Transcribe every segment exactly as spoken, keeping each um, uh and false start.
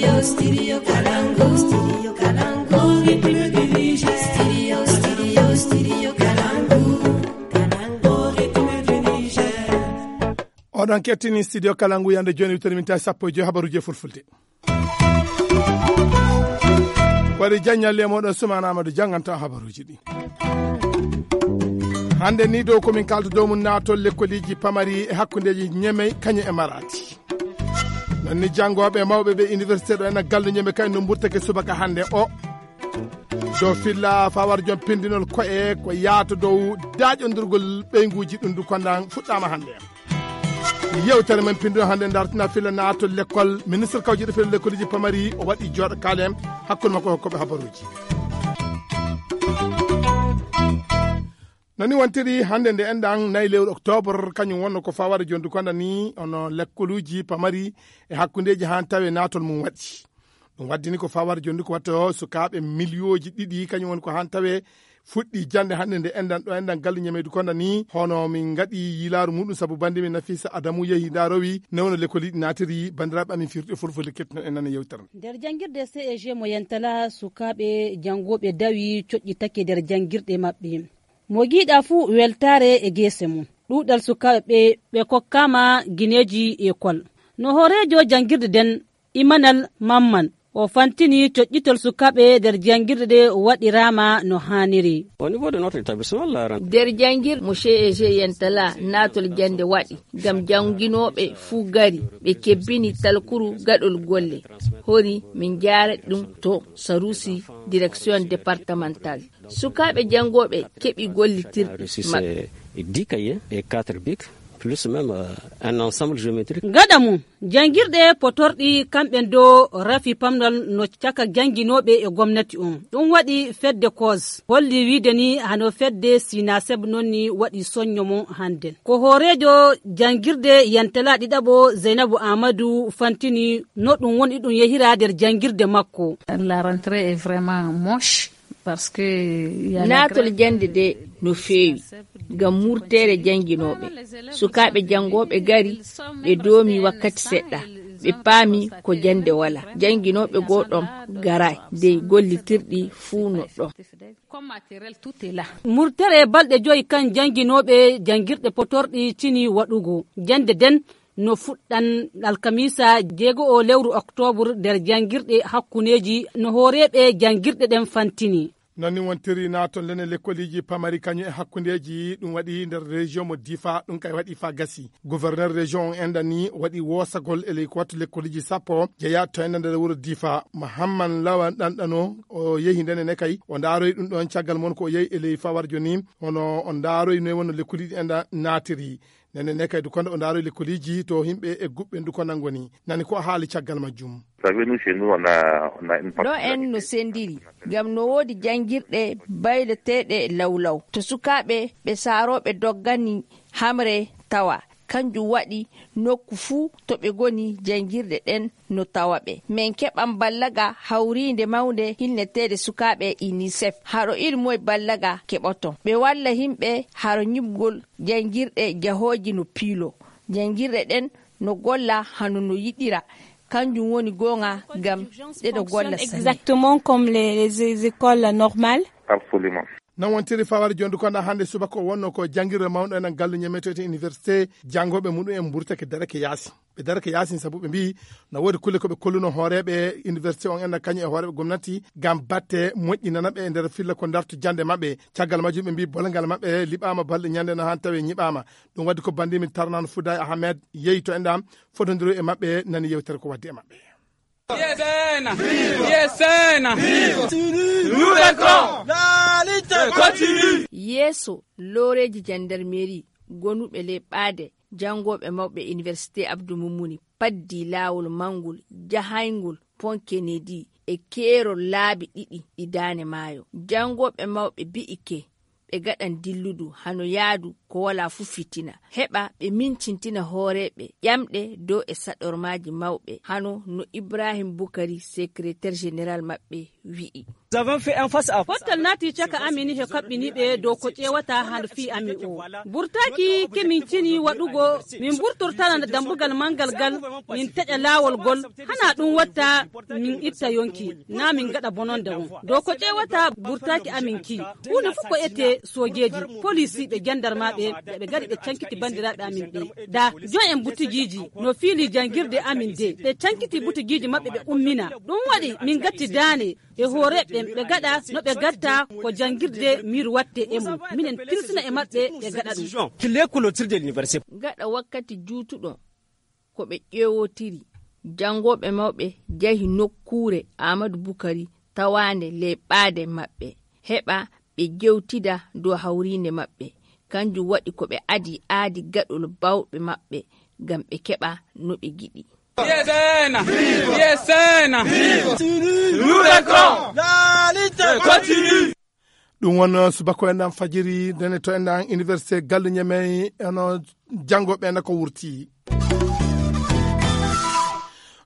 Studio Kalangu. Studio Kalangu. Au rythme du Niger. Studio, studio, studio Kalangu. Kalangu, au rythme du Niger. Oɗon kettini Studio Kalangu yande jooni, wittere min tawi sappo e joy habaruji e fulfulde. Waɗi jaññalle e moɗon Sumaana Amadou jannganta habaruji ɗi. Hannde ni dow ko min kalta dow mum naatol lekkoliji pamari e hakkundeji Ñemey kañum e Maradi. Non ni janngooɓe mawɓe ɓe université ɗo ena galle Ñemey kañum no mburtake subaka hannde o. Dow filla fawar joom pindinol koye ko yaata dow daaƴondirgol ɓeynguji ɗum du kondan fuɗɗama hannde. Yewtere men pinndo hannde dartina filla naatol lekkol. Ministre kawjiɗo filla lekkoliji pamari o waɗi jooɗo kaale hakkunde makko hokkoɓe habaruji. Nani wontiri hannde nde enɗan nayi lewru octobre, kañum wonno ko fawade jondu konda ni ono lekkoluji pamari e hakkundeji han tawe naatol mum waɗi. Ɗum waddini ko fawade jondu ko watta o sukaaɓe miliyoji ɗiɗi, kañum woni ko han tawe fuɗɗi jannde hannde nde enɗan ɗo enɗan galle Ñemeydu konda ni, hono min ngaɗi yiilaaru muɗum sabu bannde min Nafisa Adamu yehi ndarowi newno lekkoliɗi naatiri. Banndiraaɓe amin firti e fulfulde kettuno en nana yewtere. Nder janngirde C E G mo Yantala, sukaaɓe janngooɓe dawi coƴƴitake nder janngirɗe maɓɓe. Mo giiɗa fuu weltaare e geese mum. Ɗuuɗal sukaaɓe ɓe, ɓe kokkaama gineeji ekol. No hooreejo janngirde nden, Imanal Mamman, o fantini coƴƴitol sukaaɓe nder janngirɗe ɗe waɗiraama no haaniri. Au niveau de notre établissement, la rentrée. Nder janngirɗe mo C E G Yantala, naatol jannde waɗi ngam jannginooɓe fuu gari, ɓe kebbini talkuru gaɗol golle. Hori min njaara ɗum to Sarusi, direction départementale. Sukaaɓe janngooɓe keɓi gollitirɗi maɓɓe. Dix cahiers et quatre bics, plus même, euh, un ensemble géométrique. Gaɗa mum, janngirɗe potorɗi kamɓe do rafi pamnal no caka jannginooɓe e gomnati on. Ɗum waɗi fedde cause. Holli wiide ni hano fedde Sinaseb non ni waɗi soñño mum hannden. Ko hooreejo janngirde Yantala ɗiɗaɓo Zeynabu Aamadu fantini no ɗum woni ɗum yehira nder janngirde makko. La rentrée est vraiment moche. Parce que il y a la naatol grève jannde de no feewi ngam murtere jannginooɓe. Sukaaɓe janngooɓe gari, ɓe doomi wakkati seɗɗa, ɓe paami ko jannde wala. Jannginooɓe goo ɗon garaay, dey gollitirɗi fuu no ɗon. Murtere balɗe joyi kan jannginooɓe janngirɗe potorɗi tini waɗugo. Jannde den no fuɗɗan alkamiisa jeego o lewru oktoobre nder janngirɗe hakkundeeji no hooreeɓe janngirɗe ɗen fantini. Non ni wontiri naatol lene lekkoliji pamari kañum e hakkundeeji ɗum waɗi nder région mo Difa, ɗum kay waɗi fa gasi. Gouverneur région on enɗan ni waɗi woosagol e ley ko wattu lekkoliji sappo jeeya to enɗan nder wuro Difa. Mahamman Lawan ɗanɗano o yehi ndene ne kay o ndaaroyi ɗum ɗon caggal mon ko o yehi e ley fawarjo ni hono o ndaaroyi noy wonno lekkoliji enɗan naatiri. Nene ne kay dukonda o ndaaroy lekkoliji to himɓe e guɓɓe dukonda ngoni. Nani ko haali caggal majjum. Vous savez, nous, chez nous, on a, on a une partie. Ɗo en no sendiri ngam no woodi janngirɗe bayloteeɗe lawlaw. To sukaaɓe ɓe saarooɓe doggani hamre tawa. Kanjum waɗi nokku fuu to ɓe ngoni janngirɗe ɗen no tawa ɓe. Min keɓan ballaga hawriinde mawnde hilneteede sukaaɓe UNICEF. Haro ilmoy ballaga keɓoton. Ɓe walla himɓe haro nyiɓgol janngirɗe jahooji no piilo. Janngirɗe ɗen no golla hano no yiɗira. Kanjum woni goonga ngam ɗe ɗo golla sanne. Exactement comme les, les écoles normales. Absolument. Non wontiri fawar jondu konda hannde subaka o wonno ko janngirde mawɗo enen galle ñametete université janngooɓe muɗum en mburtake darake yaasi. Ɓe darake yaasi sabu ɓe mbiyi no woodi kulle ko ɓe kolluno hooreeɓe université on enna kañum e hooreeɓe gomnati ngam batte moƴƴinana ɓe e nder filla ko darto jannde maɓɓe. Caggal majjum ɓe mbiyi bolgal maɓɓe liɓaama balɗe ñande no haa tawi ñiɓaama. Ɗum waɗi ko banndi min tarnano Fouday Ahmed yehi to enɗam fotondiro e maɓɓe nani yewtere ko waddi e maɓɓe. Yesena! Yesena! Nous vaincrons! La lutte continue! Yeeso looreeji jandarmeri gonuɓe ley ɓaade janngooɓe mawɓe Iniwersite Abdou Moumouni paddii laawol mawngol jahayngol Pont Kennedy e keerol laabi ɗiɗi ɗi daane maayo. Janngooɓe mawɓe bi'ike ɓe gaɗan dilludu hano yaadu ko walaa fuu fitina, heɓa ɓe mincintina hooreeɓe ƴamɗe dow e saɗormaaji mawɓe, hano no Ibrahim Bukari, secrétaire général maɓɓe, wi'i. Pottal naati caka amin he kaɓɓini ɓe dow ko ƴeewata hano fii amin o. Burtaaki ke min cini waɗugo, min burtortana dambugal manngal gal, min teƴa laawol gol, hana ɗum watta min itta yonki, naa min ngaɗa bononda won. Dow ko ƴeewata burtaaki amin ki, huunde fof ko ete soojeeji, polisiiɓe, jandarmaaɓe, ɓe ɓe ngari ɓe cankiti banndiraaɓe amin ɓe. Da, joom en butigiiji no fiili janngirde amin de, ɓe cankiti butigiiji maɓɓe ɓe ummina. Ɗum waɗi min ngatti daane e hooreeɓe ɓen, ɓe gaɗa no ɓe gatta ko janngirde miir watte e mum. Minen tilsina e maɓɓe ɓe gaɗa ɗum. Gaɗa wakkati juutuɗo, ko ɓe ƴeewotiri. Janngooɓe mawɓe njahi nokkuure Aamadu Bukari tawaande ley ɓaade maɓɓe, heɓa ɓe jewtida dow hawriinde maɓɓe. Kanjum waɗi ko ɓe adi aadi gaɗol baawɓe maɓɓe, ngam ɓe keɓa no ɓe ngiɗi. Ɗum won subako en ɗan fajiri, nene to en ɗan Université Gallu Ñemey, eno janngo ɓe na ko wurti.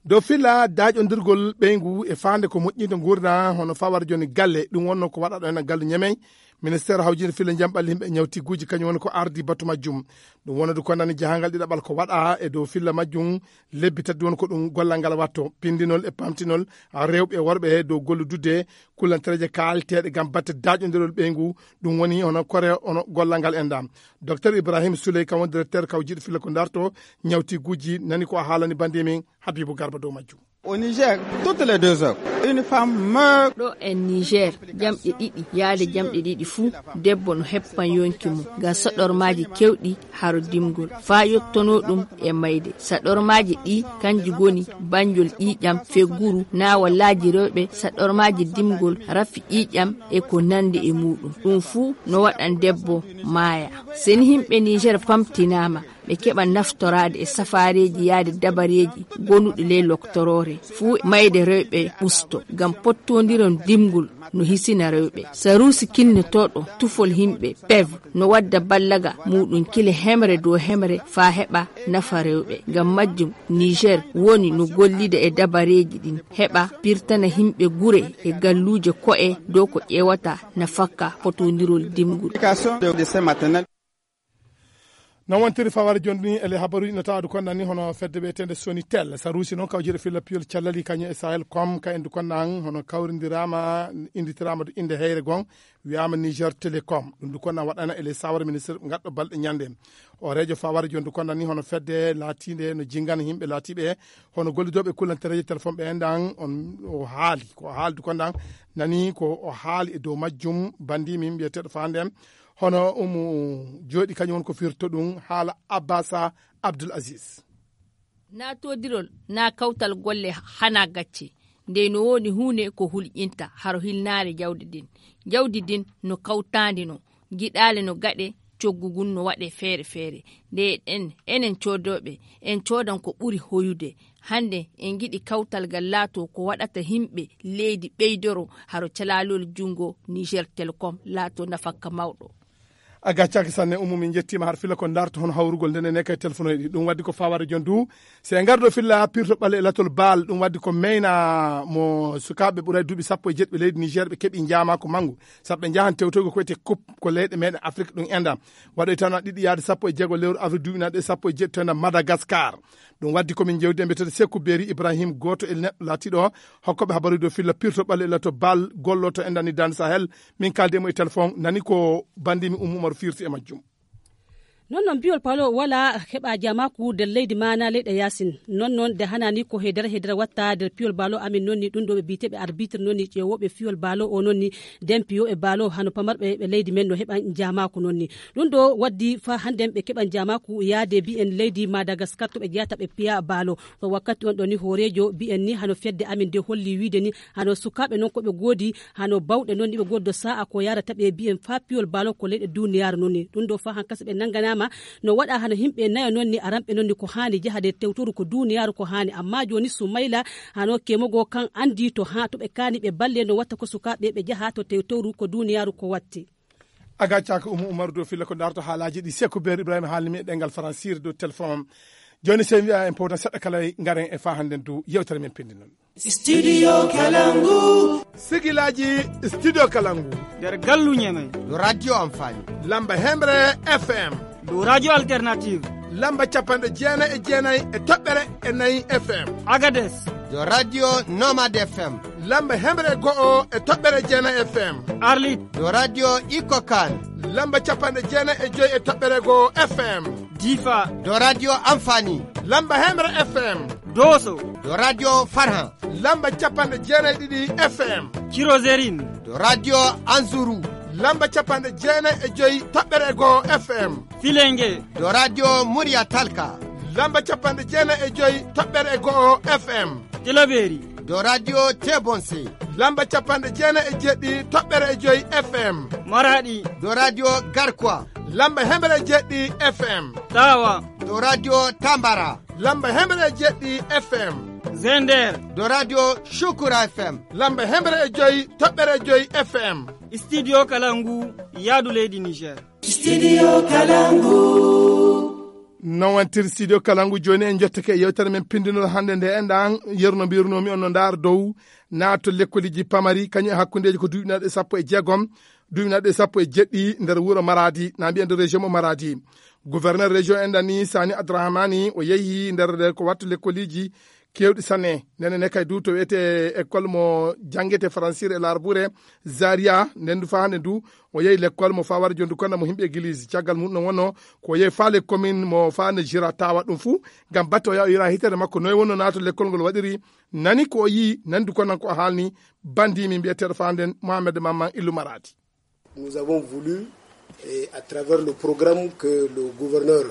Dow filla daaƴondirgol ɓeyngu e faande ko moƴƴinde nguurndam, hono fawar jooni galle, ɗum wonno ko waɗaɗo en Gallu Ñemey. Ministeer hawjinde filla njamɓal yimɓe ñawtiguuji, kañum woni ko ardi batu majjum. Ɗum wonande ko nani jahangal ɗiɗaɓal ko waɗa e dow filla majjum, lebbi tati woni ko ɗum gollal ngal watto, pindinol e pamtinol rewɓe e worɓe he dow golludude kullantereeje kaalteeɗe ngam batte daaƴondirol ɓeyngu. Ɗum woni hono kore, hono gollal ngal enɗam. Docteur Ibrahim Souley, kam woni directeur kawjiiɗo filla ko darto ñawtiguuji, nani ko a haalani bannde men Habibou Garba dow majjum. Au Niger, toutes les deux heures, une femme meurt. Ɗo en Niger, jamɗe ɗiɗi yaade jamɗe ɗiɗi fuu, debbo no heppan yonki mum ngam saɗormaaji kewɗi haro dimgol, faa yottonoo ɗum e mayde. Saɗormaaji ɗi kanji ngoni banjol ƴiiƴam, fegguru, naa wallaaji rewɓe, saɗormaaji dimgol, rafi ƴiiƴam e ko nandi e muuɗum. Ɗum fuu no waɗan debbo maaya. Seni himɓe Niger pamtinaama, ɓe keɓa naftoraade e safaareeji yaade dabareeji gonuɗi ley loktoroore, fuu mayde rewɓe usto, ngam pottondiron dimgol no hisina rewɓe. Saruusi kinnotooɗo tufol himɓe, pev, no wadda ballaga muuɗum kile hemre dow hemre faa heɓa nafa rewɓe. Ngam majjum, Niger woni no gollida e dabareeji ɗin, heɓa pirtana himɓe gure e galluuje ko'e dow ko ƴeewata nafakka potondirol dimgol. Non wontiri faware jooni e le habaruuji no tawaa du konɗan ni hono fedde wiyeteende Sonitel. Saruusi noon kawjere filla piyol callali kañum e Sahel com ka en du konɗan hono kawrindiraama, inditiraama du innde heyre gon, wiyaama Niger Telecom. Ɗum du konɗan waɗana e le sawara ministre gaɗɗo balɗe ñande. O reejo faware jooni du konɗan ni hono fedde laatiinde no jingana yimɓe laatiiɓe hono gollidooɓe kullantereeje téléphone ɓe enɗan on o haali. Ko o haali du konɗan nani ko o haali e dow majjum banndi min mbiyeteeɗo faande en. Hono umu jooɗi kañum woni ko firto ɗum haala Abbasa Abdul Aziz. Naatodirol naa kawtal golle hana gacce. Nde no woni huunde ko hulƴinta haro hilnaare jawdi din. Jawdi din no kawtaandi no. Giɗaale no gaɗe coggu ngun no waɗe feere feere. Nde en, enen coodooɓe, en coodan ko ɓuri hoyude. Hannde en ngiɗi kawtal ngal laato ko waɗata himɓe leydi ɓeydoro haro calaalol junngo Niger Telecom laato nafakka mawɗo. A gaccaaki sanne, Umu, min njettiima har filla ko ndarto hono hawrugol nden ene kay telefonoyɗi. Ɗum waddi ko faware jon du. Se en ngardo filla pirto ɓale e latol baal, ɗum waddi ko meyna mo sukaaɓe ɓuray duuɓi sappo e jeɗɗi ɓe leydi Niger ɓe keɓi njaamaako manngu. Sabu ɓe njahan tewtoygo ko wiyetee coupe ko leyɗe meɗen Afrique ɗum enɗam. Waɗoy tan ɗiɗi yaade sappo e jeego lewru avril duuɓi naɗe sappo e jeɗɗi to enɗam Madagascar. Ɗum waddi ko min jewdi e mbiyetee Seku Beri Ibrahim, gooto e neɗɗo laatiiɗo hokkooɓe habaruuji dow filla pirto ɓale e lato baal golloto e ndani Dan Sahel. Min kaaldi e mo e téléphone, nani ko bandimi Umu Umaru firti e majjum. Non non biyol paalo wala heɓa jamaaku nder leydi maana leyɗe yaasin. Non non nde hanani ko he nder he nder watta nder piyol baalo amin non ni ɗum ɗo ɓe biyeteeɓe arbitre non ni ƴeewooɓe fiyol baalo o non ni nden piyooɓe baalo hano pamarɓe ɓe leydi men no heɓa jamaaku non ni. Ɗum ɗo waddi fa hannden ɓe keɓan jamaaku yaade bi'en leydi Madagascar to ɓe jeyata ɓe piya baalo. To wakkati on ɗo ni hooreejo bi'en ni hano fedde amin nde holli wiide ni hano sukaaɓe non ko ɓe goodi hano bawɗe non ni ɓe gooddo sa'a ko yarata ɓe bi'en fa piyol baalo ko leyɗe duniyaaru non ni. Ɗum ɗo fa hankasa ɓe nanganaama no waɗa hano himɓe nayo non ni aranɓe non ni ko haani jahade tewtoru ko duniyaaru ko haani. Amma jooni Sumayla hano kemogo kan andi to ha to ɓe kaani ɓe balle no watta ko sukaaɓe ɓe jaha to tewtoru ko duniyaaru ko watti. A gaccaaka Umu Umaru dow filla ko darto haalaaji ɗi Seku Beer Ibrahima haalnimi e ɗemngal Faransiire dow téléphone. Jooni, so en mbiya en powta seɗɗa kala, ngaren e faa hannden du yewtere men pinndi non. Studio Kalangu. Sigilaaji Studio Kalangu. Nder gallu Ñamey. Ɗo Radio Amfani. Lamba Hemre F M. Ɗo Radio Alternative. Lamba capanɗe jeenayi e jeenayi e toɓɓere e nayi F M. Agades. Ɗo Radio Nomade F M. Lamba Hemre go'o e toɓɓere jeenayi F M. Arlit. Ɗo Radio Iko Kan. Lamba capanɗe jeenayi e joyi e toɓɓere go'o F M. Difa. Ɗo Radio Amfani. Lamba Hemre F M. Doso. Ɗo Radio Farhan. Lamba capanɗe jeenayi e ɗiɗi F M. Cirozerin. Ɗo Radio Anzuru. Lamba capanɗe jeenayi e joyi toɓɓere go'o F M. Filenge. Ɗo Radio Murya Talka. Lamba capanɗe jeenayi e joyi toɓɓere go'o F M. Tilaberi. Ɗo Radio Tebonse. Lamba capanɗe jeenayi e jeɗɗi toɓɓere e joyi F M. Maradi. Ɗo Radio Garkwa. Lamba hemre jeɗɗi F M. Tawa. Ɗo Radio Tambara. Lamba hemre jeɗɗi F M. Zender. Ɗo Radio Shukura F M. Lamba hemre e joyi toɓɓere joyi F M. Studio Kalangu, yaadu leydi Niger. Studio Kalangu. Non wantir Studio Kalangu, jooni en njottake e yewtere men pindinol hannde nde. Enɗan, yerno mbirnoomi on no ndaar dow naato lekkoliji pamari, kañum e hakkundeji ko duuɓi naɗe sappo e jeegom, duuɓi naɗe sappo e jeɗɗi nder wuro Maradi, na mbiya nder région mo Maradi. Gouverneur région enɗan ni, Sani Abdrahamani, o yehi nder ko wattu lekkoliji kewɗi sanne. Nden ne kay du to wiyete école mo jangete francir e larbure Zaria, nden du fa hande du o yehi l'école mo fa wara jondu konna mo himɓe église. Caggal mum no wonno ko o yehi fa les commune mo fa ne jira tawa ɗum fu ngam batte o yaha o yira hitere makko noy wonno naato l'école ngol waɗiri. Nani ko o yi, nani du konnan ko o haalni bandi min mbiyeteɗo fa nden Mohamed Mamman Illu Maradi. Nous avons voulu, et à travers le programme que le gouverneur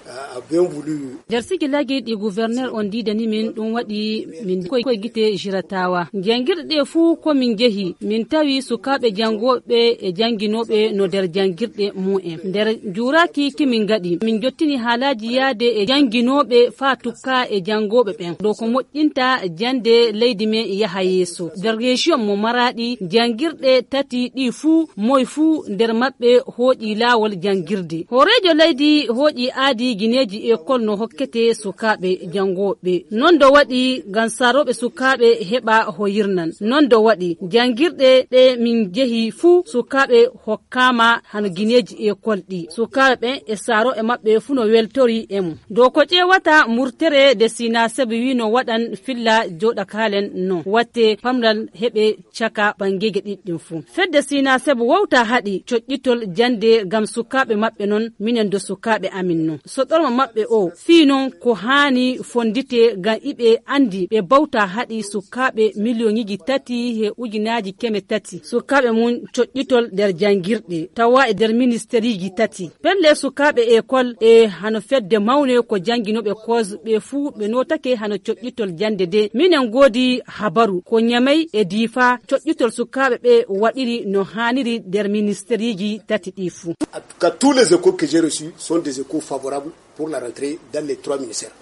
a, a bien voulu. Nder sigi lagi ɗi gouverneur on diidani min, ɗum waɗi min koye, koye gite jiratawa. Jangirɗe ɗe fuu ko min njehi, min tawi sukaaɓe janngooɓe e jannginooɓe no nder janngirɗe mumen. Nder njuuraaki ki min ngaɗi, min njottini haalaaji yaade e jannginooɓe faa tukka e janngooɓe ɓen. Ɗo ko moƴƴinta jannde leydi men yaha yeeso. Nder région mo Maradi, janngirɗe tati ɗi fuu, moy fuu nder maɓɓe hooƴi laawol janngirde. Hooreejo leydi hooƴi aadi gineeji école no hokkete sukaaɓe janngooɓe. Non do waɗi ngam saarooɓe sukaaɓe heɓa hoyirnan. Non do waɗi janngirɗe ɗe min njehi fuu sukaaɓe hokkaama hano gineeji école ɗi. Sukaaɓe ɓen e saarooɓe maɓɓe fuu no weltori e mum. Dow ko ƴeewata murtere de Sinaseb wi no waɗan filla jooɗa kaalen no watte pamral heɓe caka ɓangeeje ɗiɗi ɗin fuu. Fedde Sinaseb wowta haɗi coƴƴitol jannde ngam sukaaɓe maɓɓe non, minen do sukaaɓe amin non. Soɗorma maɓɓe o fii non ko haani fonndite ngam iɓe anndi ɓe bawta haɗi sukaaɓe miliyoŋiji tati he ujunaaji keme tati. Sukaaɓe mum coƴƴitol nder janngirɗe tawa e nder ministeriiji tati. Pelle sukaaɓe école e hano fedde mawne ko jannginooɓe koos ɓe fuu ɓe nootake hano coƴƴitol jannde de. Minen ngoodi habaru ko Ñamey e Diifa coƴƴitol sukaaɓe ɓe waɗiri no haaniri nder ministeriiji tati ɗi fuu. En tout cas, tous les échos que j'ai reçus sont des échos favorables pour la rentrée dans les trois ministères.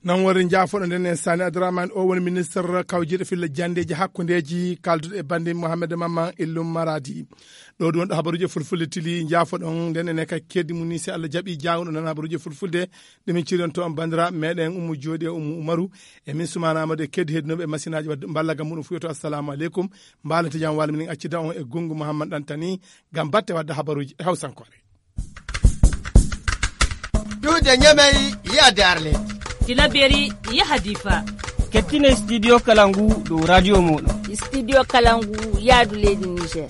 Nan wari njaafoɗo nden en Sani Abdourahmane, o woni ministre kawjiiɗo filla janndeeji hakkundeeji, kalduɗo e bannde Mohamed Mamman Illum Maradi. Ɗo ɗum wonɗo habaruuji e fulfulde tili, njaafoɗon nden enen kay keddi mum ni, si Allah jaɓi, jaawuɗo nan habaruuji e fulfulde, ɗe min ciridonto on banndiraaɓe meɗen Ummu Jooɗi e Ummu Umaru, e min Sumaana Amadu e keddi heddinooɓe e masinaaji wadde mballagam muɗum fuyoto. Assalamu aleykum, mbaalete jam walla minen accida on e Gungu Mohammad Ɗantani ngam batte wadde habaruuji e hawsankoore. Duude Ñamey yaade Arlet. Tilaberi yaha Difa. Kettine studio Kalangu dow radio mooɗon. Studio Kalangu yaadu leydi Niger.